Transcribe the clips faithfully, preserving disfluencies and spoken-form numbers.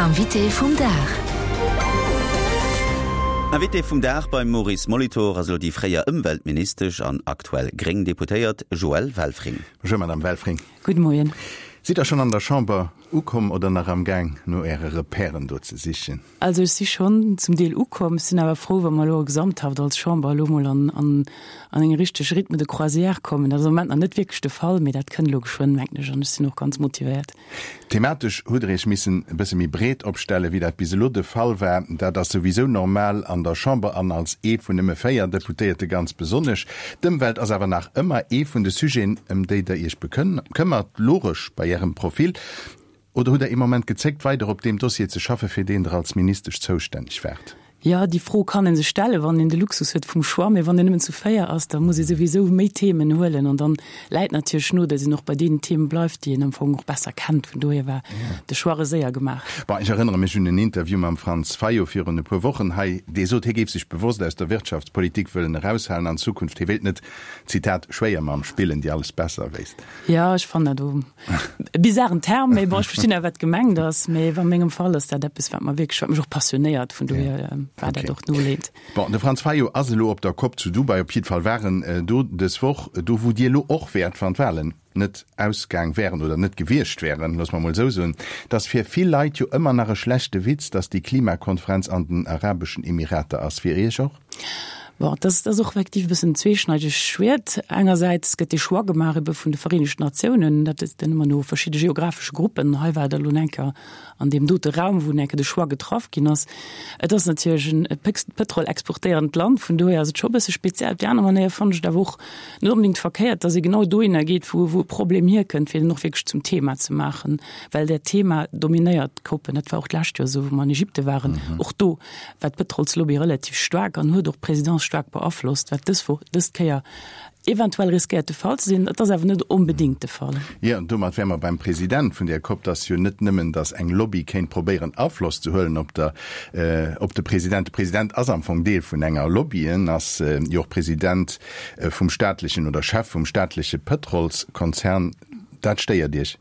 Invité vum Dag. Invité vum Dag beim Maurice Molitor ass elo déi fréier Ëmweltministesch an aktuell gréng Deputéiert Joëlle Welfring. Bonjour Madame Welfring. Gudde Moien. Sidd Der schonn an der Chamber ukomm oder nach am Gaang no Äre Repèren do ze sichen? Also ech si schonn zum Deel ukomm. Ech sinn awer frou, wa mer elo gesamthaft als Chamber elo mol an, an, an eng richteg Rythme de croisière kommen. Dat ass am Moment nach net wierklech de Fall, mee dat kënnt elo geschwënn, mengen ech, an ech sinn och ganz motivéiert. Thematesch hutt Der Iech missen e bësse méi breet opstellen, wéi dat bis elo de Fall war. Dat ass souwisou normal an der Chamber an als ee vun nëmme véier Deputéierte ganz besonnesch. D'Ëmwelt ass awer nach ëmmer ee vun de Sujeten, ëm déi Der Iech bekëmmert, logesch bei Ärem Profil. Oder hutt Der ee Moment gezéckt, weider op deem Dossier ze schaffen, fir deen Der als Ministesch zoustänneg waart? Jo, déi Fro kann ee sech stellen, wann een de Luxus huet vum Choix. Mee wann een nëmmen zu véier ass, da muss ee souwisou méi Themen huelen. An dann läit natierlech no, datt een och bei deenen Themen bleift, déi een am Fong och besser kennt. Vun dohier war de Choix séier gemaach. Bon, ech erënnere mech un en Interview mam Franz Fayot virun e puer Wochen hei, dee sot, hie géif sech bewosst aus der Wirtschaftspolitik wëllen eraushalen an Zukunft. Hie wéilt net, Zitat, Schwéiermamm spillen, déi alles besser wéisst. Jo, ech fannen dat e bizaren Term, mee bon, ech verstinn awer, wat gemengt ass. Mee a mengem Fall ass dat eppes, wat mer wierklech, wat mech och passionéiert, vun dohier war dat och noleeënd. Bon, de Franz Fayot ass elo op der Cop zu Dubai, op jiddwer Fall war en do dës Woch, do wou Dir elo och wäert, wann d'Wahlen net ausgaang wären oder net gewiescht wären, loosse mer emol esou soen. Et ass fir vill Leit jo ëmmer nach e schlechte Witz, datt déi Klimakonferenz an den Arabeschen Emirater ass. Fir Iech och? Bon, dat ass och effektiv e bëssen en zweeschneidegt Schwiert. Engersäits gëtt dee Choix gemaach ebe vun de Vereenegten Natiounen, dat ass dann ëmmer no verschidde geografesche Gruppen. Hei war et elo eng Kéier an deem dote Raum, wou eng Kéier de Choix getraff ginn ass. Et ass natierlech en Pëtrol exportéierend Land, vun dohier ass et scho e bësse speziell. Op déi aner Manéier fannen ech et awer och net onbedéngt verkéiert, datt ee genau dohinner geet, wou wou e Problem hierkënnt, fir en och wierklech zum Thema ze maachen, well dat Thema dominéiert d'COPen. Dat war och d'lescht Joer esou, wou mer an Ägypte waren. Och do war d'Pëtrolslobby relativ staark an huet och d'Presidence staark beaflosst, wat dës Woch, dës Kéier eventuell riskéiert de Fall ze sinn. Et ass awer net onbedéngt de Fall. Jo, an domat wäre mer beim President vun där Cop. Et ass jo net nëmmen, datt eng Lobby kéint probéieren Afloss ze huelen op der, op de President. De President ass am Fong Deel vun enger Lobby. En ass jo och President vum staatlechen oder Chef vum staatleche Pëtrolskonzern. Dat stéiert Iech?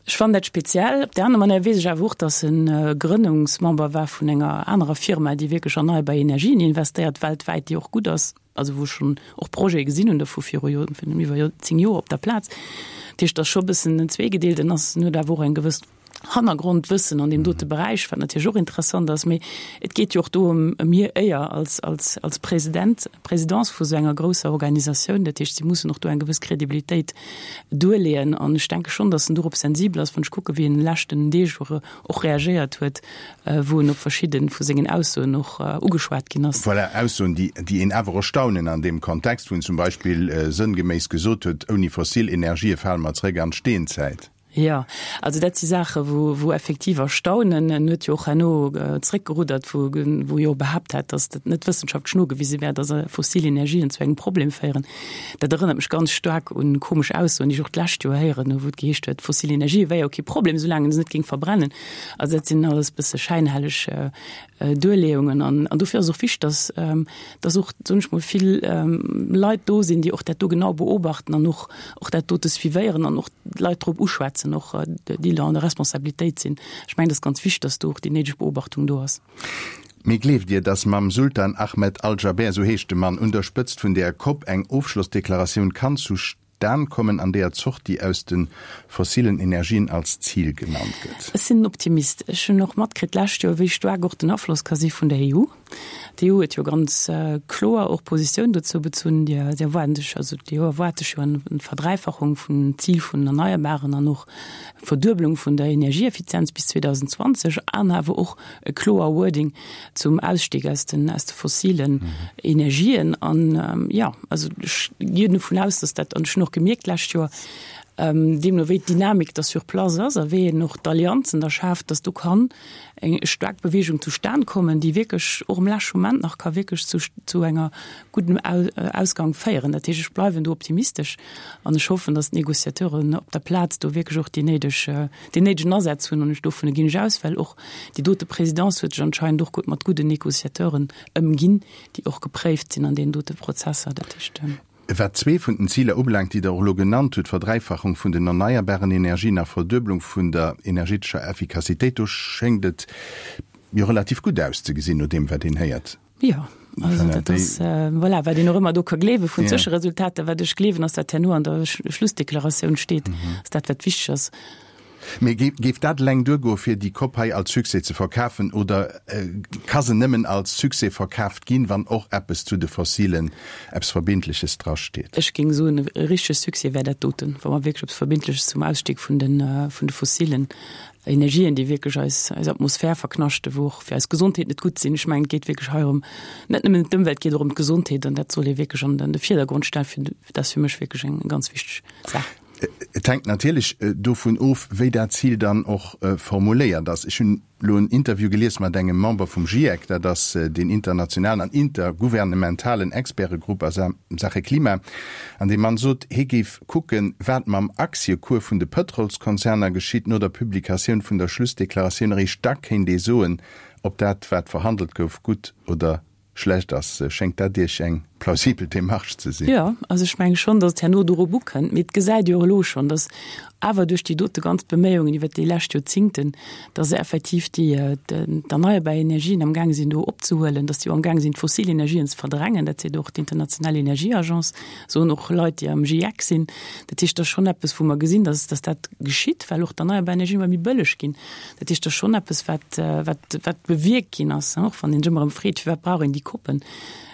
Ech fannen dat speziell. Op där aner Manéier weess ech awer och, datt en Grënnungsmember war vun enger anerer Firma, déi wierklech erneierbar Energien investéiert weltwäit, déi och gutt ass, also wou ech schonn och Projete gesinn hunn dovu viru Joren, virun iwwer zéng Joer op der Plaz. Dat heescht, et ass scho e bëssen en zweegedeelt. En ass, en huet awer och eng gewëss Hannergrondwëssen an deem dote Beräich, wat natierlech och interessant ass. Mee et geet jo och do ëm ëm hir Éier als, als, als President, Présidence vu sou enger grousser Organisatioun. Dat heescht, si mussen och do eng gewëss Kredibilitéit duerleeën. An ech denke schonn, datt en dorop sensibel ass, wann ech kucke wéi en leschten Deeg och och reagéiert huet, wou en op verschidde vu sengen Aussoen och ugeschwat ginn ass. Voilà, Aussoen, déi, déi een awer erstaunen an deem Kontext, wou en zum Beispill sënngeméiss gesot huet, ouni fossil Energië fale mer zréck an d'Steenzäit. Jo, also dat si Saache wou, wou effektiv erstaunen. En huet jo och herno zréckgeruddert, wou, wou e jo behaapt hat, datt dat net wëssenschaftlech nogewise wär, datt fossil Energien zu engem Problem féieren. Dat erënnert mech ganz staark un komesch Aussoen, déi ech och d'lescht Joer héieren hu, wou et geheescht huet, fossil Energie wär jo kee Problem, soulaang een se net géing verbrennen. Also dat sinn alles bësse schäinhelleg Duerleeungen. An, an dofir ass och wichteg, datt, datt och, soen ech mol, vill Leit do sinn, déi och dat do genau beobachten an och, och dat dote suivéieren an och d'Leit drop uschwätzen, och déi an der Responsabilitéit sinn. Ech mengen, et ass ganz wichteg, datt do och déi néideg Beobachtung do ass. Mee gleeft Dir, datt mam Sultan Ahmed Al-Jaber, esou heescht de Mann, un der Spëtzt vun där Cop eng Ofschlossdeklaratioun kann zustan kommen, an deeër d'Sortie aus de fossilen Energien als Zil genannt gëtt? Ech sinn en Optimist. Ech hunn och matkritt d'lescht Joer, wéi staark och den Afloss ka si vun der E U. D'E U huet jo ganz kloer och Positioun dozou bezunn. Déi erwaarden sech, also d'E U erwaart sech jo eng Verdräifachung vum Zil vun den Erneierbaren an och Verduebelung vun der Energieeffizienz bis zweedausendzwanzeg an awer och e kloer Wording zum Ausstieg aus den aus de fossilen Energien. An jo, also ech ginn dovun aus, dass dat, an ech hunn och gemierkt d'lescht Joer, deemno wéi d'Dynamik da sur place ass a wéi een och d'Allianzen da schaaft, dass do kann eng staark Bewegung zustan kommen, déi wierklech och am leschte Moment nach ka wierklech zu zu enger guddem Ausgang féieren. Dat heescht, ech bleiwen do optimistesch an ech hoffen, dass d'Négociateuren op der Plaz do wierklech och déi néideg, deen néidegen Asaz hunn. An ech dovun ginn ech aus, well och déi dote Présidence huet sech anscheinend och gutt mat gudden Négociateuren ëmginn, déi och gepréift sinn an deenen dote Prozesser. Dat heescht. Wat zwee vun den Ziler ubelaangt, déi Der och elo genannt hutt, Verdräifachung vun den erneierbaren Energien a Verdueblung vun der energetescher Effikassitéit, do schéngt et jo relativ gutt auszegesinn, no deem, wat een héiert. Jo, also dat ass, voilà, wat een och ëmmer do ka gleewe vun Zwëscheresultater. Wat ech gleewen, ass, wat herno an der Schlussdeklaratioun steet, ass dat, wat wichteg ass. Mee géif dat eleng duergoe fir déi COP hei als Succès ze verkafen oder ka se nëmmen als Succès verkaaft ginn, wann och eppes zu de Fossilen, eppes Verbindleches drasteet? Ech géing soen, e richtege Succès wär dat doten, wa mer wierklech eppes Verbindleches zum Ausstig vun de fossilen Energien, déi wierklech eis Atmosphär verknaschten, wou och fir eis Gesondheet net gutt sinn. Ech mengen, et geet wierklech hei ëm net nëmmen ëm d'Ëmwelt, et geet och ëm d'Gesondheet an dat soll ee wierklech an de Virdergrond stellen. Dat ass fir mech wierklech eng ganz wichteg Saach. Et hänkt natierlech dovun of, wéi dat Zil dann och formuléiert ass. Ech hunn elo en Interview gelies mat engem Member vum GIEC, dat ass deen internationalen an intergouvernementalen Expertegrupp a Saache Klima, an dee Mann sot, hie géif kucken, wat mam Aktiecours vun de Pëtrolskonzerner geschitt no der Publikatioun vun der Schlussdeklaratioun. Eréischt da kéint ee soen, ob dat, wat verhandelt gouf, gutt oder schlecht ass. Schéngt dat Iech eng plausibel Demarche ze sinn? Jo, also ech menge schonn, datt et herno dorop ukënnt. Mee et gesäit ee jo och elo schonn, datt awer duerch déi dote ganz Beméiungen iwwert déi lescht Joerzingten, datt se effektiv déi d'erneierbar Energien amgaange sinn do opzehuelen, datt déi och amgaange sinn d'fossil Energien ze verdrängen. Dat seet och d'international Energieagence, soen och Leit, déi am GIEC sinn. Dat heescht, dat ass schonn eppes, wou mer gesinn, datt datt dat geschitt, well och d'erneierbar Energien ëmmer méi bëlleg ginn. Dat heescht, dat ass schonn eppes, wat wat wat bewierkt ginn ass, och wann een sech ëmmer erëm freet, firwat brauch een déi Koppen.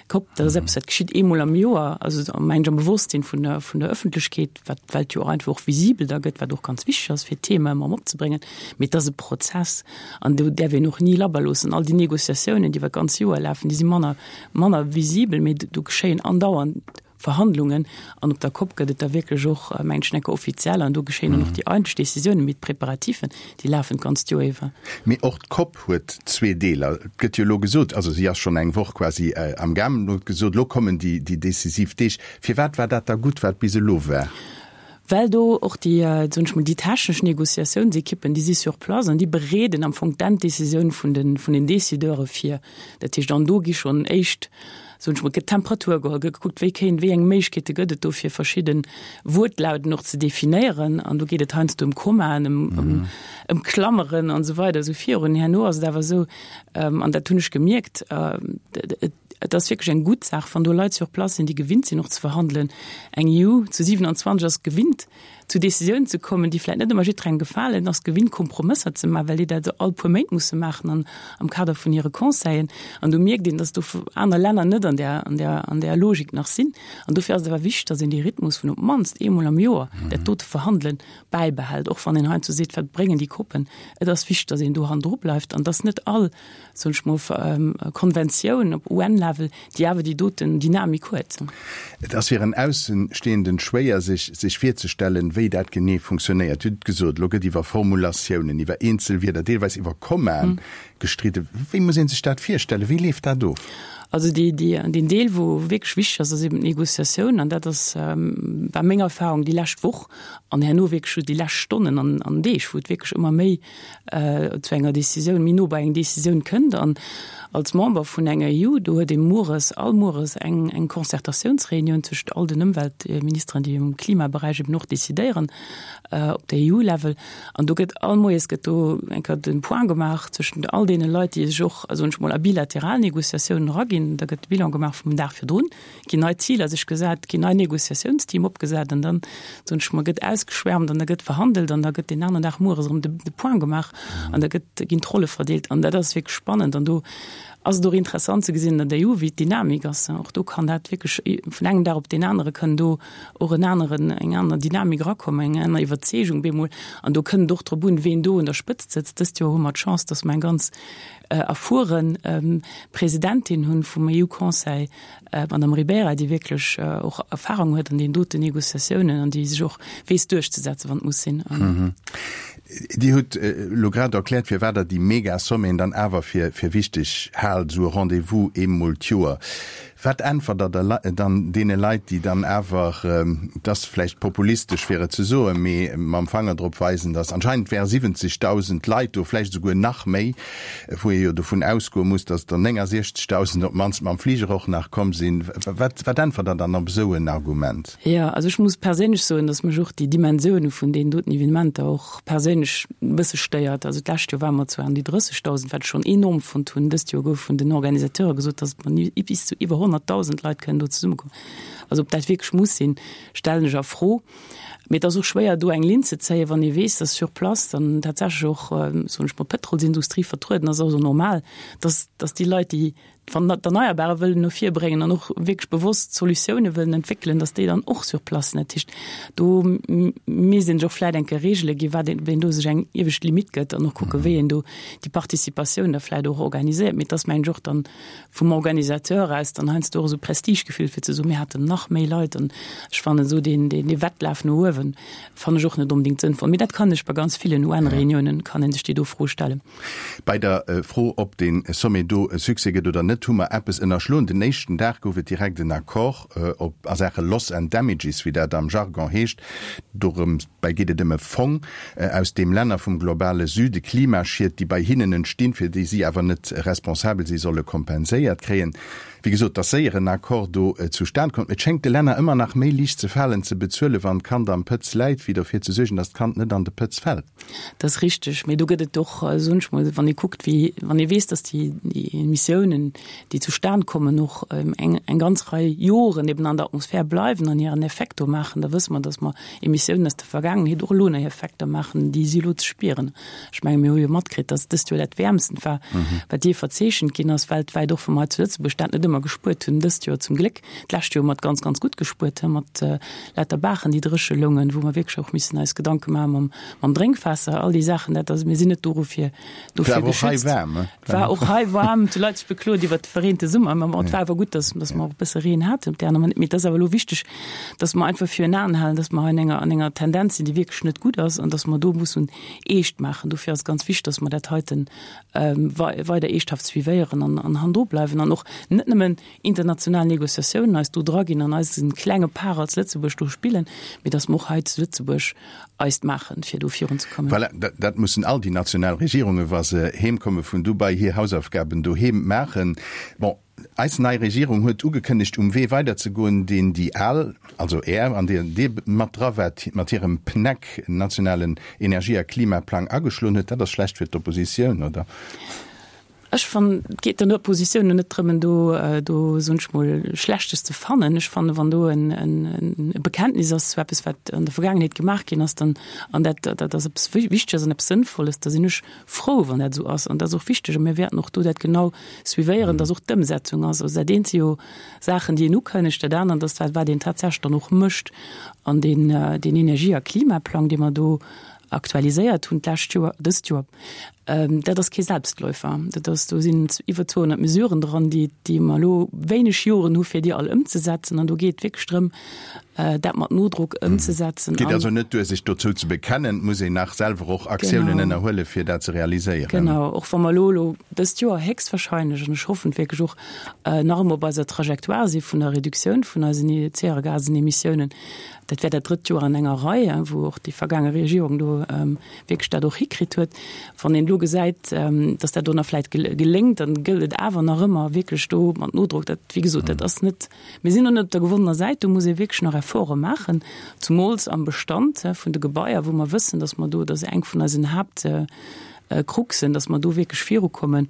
Cop, dat ass eppes, dat geschitt eemol am Joer, also mengen ech am Bewosstsinn vun der, vun der Ëffentlechkeet, wat d'Welt jo och einfach och visibel da gëtt, wat och ganz wichteg ass, fir d'Thema ëmmer erëm opzebréngen. Mee et ass e Prozess an do däerf een och ni labber loossen. All déi Négociatiounen, déi iwwer d'ganz Joer lafen, déi si manner, manner visibel, mee do geschéien andauernd Verhandlungen an op der Cop gëtt et da wierklech och, mengen ech, enker offiziell an do geschéien dann och déi eigentlech Décisiounen, mee d'Preparativen, déi lafen d'ganzt Joer iwwer. Mee och d'Cop huet zwee Deeler. Et gëtt jo elo gesot, also si ass schonn eng Woch quasi am gaangen, elo gëtt gesot, elo kommen déi decisiv Deeg. Firwat war dat da gutt, wat bis elo war? Well do och déi, soen ech mol, déi technesch Négociatiounsekippen, déi si sur place an déi bereeden am Fong d'Enddécisioun vun den, vun den Décideure vir. Dat heescht, an do gi schonn éischt, soen ech mol, gëtt d'Temperatur geholl, gëtt gekuckt, wéi kéint, wéi eng Méiglechkeete gëtt et do fir verschidde Wuertlauten och ze definéieren. An do geet et heiansdo ëm Kommaen, ëm, ëm, ëm Klammeren an esou weider esou virun. Herno ass et awer esou, an dat hunn ech gemierkt, et, Et ass wierklech eng gutt Saach, wann do Leit sur place sinn, déi gewinnt sinn och ze verhandelen. Eng E U zu siewenundzwanzeg ass gewinnt, zu Décisiounen ze kommen, déi vläicht net ëmmer jidderengem gefalen, ass gewinnt, Kompromësser ze maachen, well déi dat all puer Méint musse maachen an am Kader vun hire Conseillen. An do mierkt een, dass do aner Länner net an där, an där, an där Logik nach sinn. An dofir ass et awer wichteg, dass een dee Rhythmus vun op d'mannst eemol am Joer dat dote Verhandelen bäibehält, och wann een heiansdo seet, Wat bréngen déi Koppen? Et ass wichteg, dass een do hannendru bleift an dass net all soen ech mol, Konventioun op U N-Level, déi awer déi doten Dynamik huet. Et ass fir en Aussenstehenden schwéier, sech sech virzestellen, wéi dat genee funktionéiert. Dir hutt et gesot, elo gëtt iwwer Formulatiounen, iwwer eenzel Wierder, deelweis iwwer Kommaen gestridden. Wéi muss ee sech dat virstellen? Wéi leeft dat of? Also déi, déi, deen Deel, wou wierklech wichteg ass, ass eben d'Négociatioun. An dat ass, war meng Erfahrung déi lescht Woch an herno wierklech just déi lescht Stonnen an, an Deeg, wou et wierklech ëmmer méi zu enger Décisioun, méi no bei eng Décisioun kënnt. An als Member vun enger E U, do huet ee mueres, all mueres eng, eng Concertatiounsreunioun tëschent all den Ëmweltministeren, déi um Klimaberäich eben och décidéieren op der E U-Level. An do gëtt all moies gëtt do eng Kéier de Point gemaach tëschent all deene Leit, déi sech och, soen ech mol, a bilateral Négociatiounen eraginn. Da gëtt de Bilan gemaach vum Dag virdrun, ginn nei Ziler sech gesat, ginn nei Négociatiounsteam opgesat an dann, soen ech mol, gëtt ausgeschwärmt an da gëtt verhandelt an da gëtt deen aneren Dag mueres erëm de, de Point gemaach an da gëtt, ginn d'Rolle verdeelt an dat ass wierklech spannend an do ass et och interessant ze gesinn an der E U, wéi d'Dynamik ass. Och do kann dat wierklech vun engem Dag op deen anere kënn do och en aneren, eng aner Dynamik erakommen, eng aner Iwwerzeegung bemol an do kënnt et och drop un, ween do un der Spëtzt sëtzt. Dëst Joer hu mer d'Chance, dass mer eng ganz erfuere Presidentin hunn vum E U-Conseil, d'Madame Ribeira, déi wierklech och Erfahrung huet an deenen doten Négociatiounen an déi sech och weess duerchzesetzen, wann et muss sinn. Dir hutt elo grad erkläert, firwat Der déi mega Sommeten dann awer fir wichteg haalt, esou e Rendez-vous eemol d'Joer. Wat äntwert Der dann deene Leit, déi dann awer, et ass vläicht populistesch fir et ze soen, mee mam Fanger drop weisen, datt anscheinend wäre siwwenzegdausend Leit do, vläicht esouguer nach méi, wou ee jo dovun ausgoe muss, datt der néngasiechzegdausend op d'mannst mam Fliger och nach komm sinn. Wat wat äntwert Der dann op esou en Argument? Jo, also ech muss perséinlech soen, datt mech och déi Dimensioune vun deenen doten Evenementer och perséinlech e bësse stéiert. Also d'lescht Joer ware mer zwar an déi drëssegdausend, wat ech schonn enorm fonnt hunn. Dëst Joer gouf vun den Organisateure gesot, datt mer bis zu iwwer honnertdausend Leit kënnen do zesummekommen. Also ob dat wierklech muss sinn, stellen ech a Fro. Mee et ass och schwéier do eng Linn ze zéien, wann ee weess, datt sur place dann tatsächlech och, soen ech mol, d'Pëtrolsindustrie vertrueden ass. Also normal, datt, datt déi Leit, déi d'Erneierbare wëllen no vir bréngen an och wierklech bewosst Solutioune wëllen entwéckelen, datt déi dann och sur place sinn. Dat heescht, do misst een sech och vläicht eng Kéier Reegele ginn, wat een, wéi een do sech eng iewescht Limitt gëtt an och kucke wéi een do déi Participatioun da vläicht och organiséiert. Mee et ass, mengen ech, och dann vum Organisateur aus dann heiansdo och esou Prestigegefill fir ze soen, mir haten nach méi Leit. An ech fannen esou deen, deen Wettlaf no uewen fannen ech och net onbedéngt sënnvoll. Mee dat kann ech bei ganz villen UN-Reuniounen kann ee sech déi do Fro stellen. Bei der Fro, ob dee Sommet do e Succès gëtt oder net, hu mer eppes ënnerschloen. Den éischten Dag gouf et direkt en Accord op a Saache Loss and Damages, wéi dat am Jargon heescht. Dorëms bäi geet et ëm e Fong, aus deem Länner vum globale Süde Klimaschied, déi bei hinnen entstinn, fir déi si awer net responsabel si, solle kompenséiert kréien. Wéi gesot, et ass séier en Accord do zustan komm. Et schéngt de Länner ëmmer nach méi liicht ze falen, ze bezuelen, wann d'Kand am Pëtz läit, wéi derfir ze suergen, datt d'Kand net an de Pëtz fält. Dat ass richteg. Mee do gëtt et och, soen ech mol, wann ee kuckt, wéi, wann ee weess, datt déi Emissiounen, déi zustan kommen, och eng, eng ganz Rei Joren eben an der Atmosphär bleiwen an hiren Effekt do maachen, da wësse mer, datt mer Emissiounen aus der Vergaangenheet och elo nach Effekter maachen, déi si elo ze spieren. Ech menge mir hu jo matkritt, datt dëst Joer dat wäermsten war, wat jee verzeechent ginn ass weltwäit, och wa mer hei zu Lëtzebuerg dat net ëmmer gespuert hunn dëst Joer zum Gléck. D'lescht Joer hu mer et ganz, ganz gutt gespuert, mat lauter Baachen, déi dréche loungen, wou mer wierklech och missen eis Gedanke maache mam, mam Drénkwaasser, all déi Saachen. Dat ass, mir sinn net dorofir, dofir geschützt. War och hei waarm, he? War och hei waarm. Et hu Leit sech beklot iwwert de verreente Summer, mä bon, et war awer gutt, dass, dass mer och e bësse Reen haten op där aner. Mee et ass awer elo wichteg, dass mer einfach virun Aen halen, dass mer hei an enger, an enger Tendenz sinn, déi wierklech net gutt ass an dass mer do mussen eescht maachen. Dofir ass et ganz wichteg, dass mer dat heiten weider eeschthaft suivéieren an, an hannendru bleiwen an och net nëmmen international Négociatiounen eis do draginn an eisen klenge Part als Lëtzebuerg do spillen, mee dass mer och hei zu Lëtzebuerg eist maachen, fir do virunzekommen. Voilà, dat mussen all déi national Regierungen, wa se heemkomme vun Dubai, hir Hausaufgaben doheem maachen. Bon, eis nei Regierung huet ugekënnegt, um Wee weiderzegoen, deen déi al, also Är, an där Dir mat dra waart, mat hirem PNEC, nationalen Energie a Klimaplang, ageschloen huet. Dat ass schlecht fir d'Oppositioun, oder? Ech fannen, et geet den Oppositiounen net drëm, do, do, soen ech mol, Schlechtes ze fannen. Ech fannen, wann do en, en, e Bekenntnis ass zu eppes, wat an der Vergaangenheet gemaach ginn ass, dann, an dat, dat ass eppes Wichteges an eppes Sënnvolles, da sinn ech frou, wann dat esou ass. An dat ass och wichteg. A mir wäerten och do dat genau suivéieren, dass och d'Ëmsetzung ass. Also dat eent si jo Saachen, déi een ukënnegt, dat anert ass dat, wat een tatsächlech dann och mécht. An deen, deen Energie a Klimaplang, dee mer do aktualiséiert hunn d'lescht Joer, dëst Joer, dat ass kee Selbstläufer. Dat ass, do sinn iwwer zweehonnert Mesuren dran, déi, déi mer elo wéineg Joren hu fir déi all ëmzesetzen. An do geet et wierklech drëm, dat mat Nodrock ëmzesetzen. Et geet also net duer, sech dozou ze bekennen, et muss een nach selwer och Aktiounen ënnerhuelen, fir dat ze realiséieren. Genau, och wa mer elo elo dëst Joer héchstwahrscheinlech, an ech hoffen et wierklech och, nach ëmmer op eiser Trajectoire si vun der Reduktioun vun eisen Zäregasemissiounen, Dat wär dat drëtt Joer an enger Rei, wou och déi vergaange Regierung do wierklech dat och hikritt huet. Wann een elo gesäit, datt dat do nach vläicht geléngt, dann gëllt et awer nach ëmmer wierklech do mat Nodrock. Dat, wéi gesot, dat ass net, mir sinn do net op der gewonnener Säit, do muss ee wierklech nach Efforte maachen, zumools am Bestand vun de Gebaier, wou mer wëssen, datt mer do, dat ass eng vun eisen Haaptkruxen, datt mer do wierklech virukommen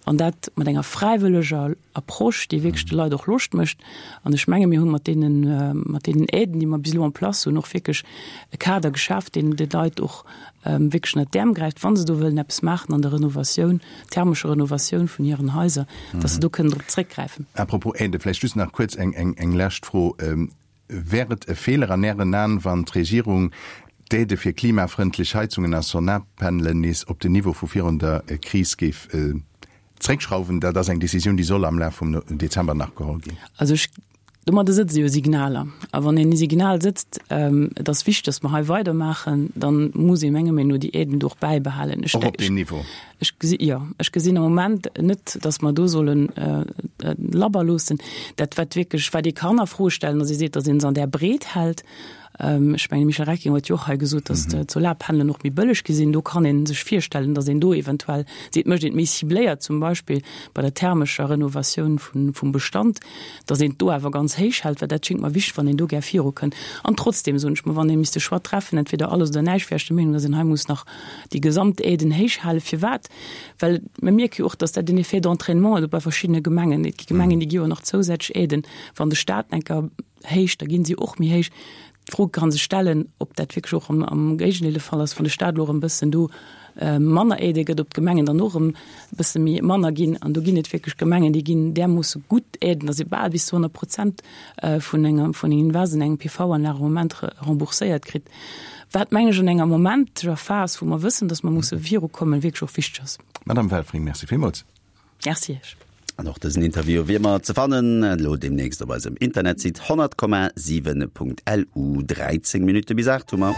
an dat mat enger fräiwëlleger Approche, déi wierklech de Leit och Loscht mécht. An ech menge mir hu mat deenen, mat deenen Aiden, déi mer bis elo en place hunn, och wierklech e Kader geschaaft, deen de Leit och wierklech ënnert d'Äerm gräift, wa se do wëllen eppes maachen an der Renovatioun, thermescher Renovatioun vun hiren Haiser, datt se do kënnen drop zréckgräifen. À propos Aiden, vläicht just nach kuerz eng, eng, eng lescht Fro. Wär et e Feeler an Ären Aen, wann d'Regierung d'Aidë fir klimafrëndlech Heizungen a Solarpanelen nees op den Niveau vu virun der Kris géif zréckschrauwen? Dat ass eng Decisioun, déi soll am Laf vum Dezember nach geholl ginn. Also ech Domadder sëtze jo Signaler. A wann een e Signal sëtzt, et ass wichteg, dass mer hei weidermaachen, da muss ee menger Meenung no déi Aiden do och bäibehalen. Och op deem Niveau? Ech gesi, jo, ech gesinn am Moment net, dass mer do solle labber loossen. Dat, wat wierklech, wat ee kann a Fro stellen, ass, ee seet, dass ee se an där Breet hält. Ech mengen, de Michel Recking huet jo och hei gesot, dass d'Solarpanelen och méi bëlleg gi sinn. Do kann ee sech virstellen, dass een do eventuell seet, mécht een et méi cibléiert, zum Beispill bei der thermescher Renovatioun vum Bestand, dass een et do awer ganz héich hält, well dat schéngt mer wichteg, wann een do gär virukënnt. An trotzdem, soen ech mer, wann ee misst de Choix treffen, entweder alles oder näischt, wär ech der Meenung, dass een hei muss nach déi gesamt Aiden héich halen. Firwat? Well mir mierke jo och, dass dat en Effet d'entraînement huet bei verschiddene Gemengen. Et gi Gemengen, déi gi jo nach zousätzlech Aiden. Wann de Stat enker héicht, da gi si och méi héich. D'Fro ka sech stellen, ob dat wierklech och am Géigendeel de Fall ass, wann de Stat elo erëm e bëssen do manner Aidë gëtt, ob d'Gemengen dann och erëm e bësse méi manner ginn. An do ginn et wierklech Gemengen, déi ginn därmoosse gutt Aiden, datt se bal bis zu honnert Prozent vun engem vun engem Invest an engem PV-Anlag am Moment rembourséiert kritt, wat, meng ech, an enger momenteger Phas, wou mer wëssen, datt mer musse virukommen, wierklech och wichteg ass. Madame Welfring, Merci villmools. Merci Iech. An och dësen Interview wier mer ze fannen elo deemnächst op eisem Internetsite honnert Komma siwen Punkt LU. dräizéng Minutte bis aacht hu mer.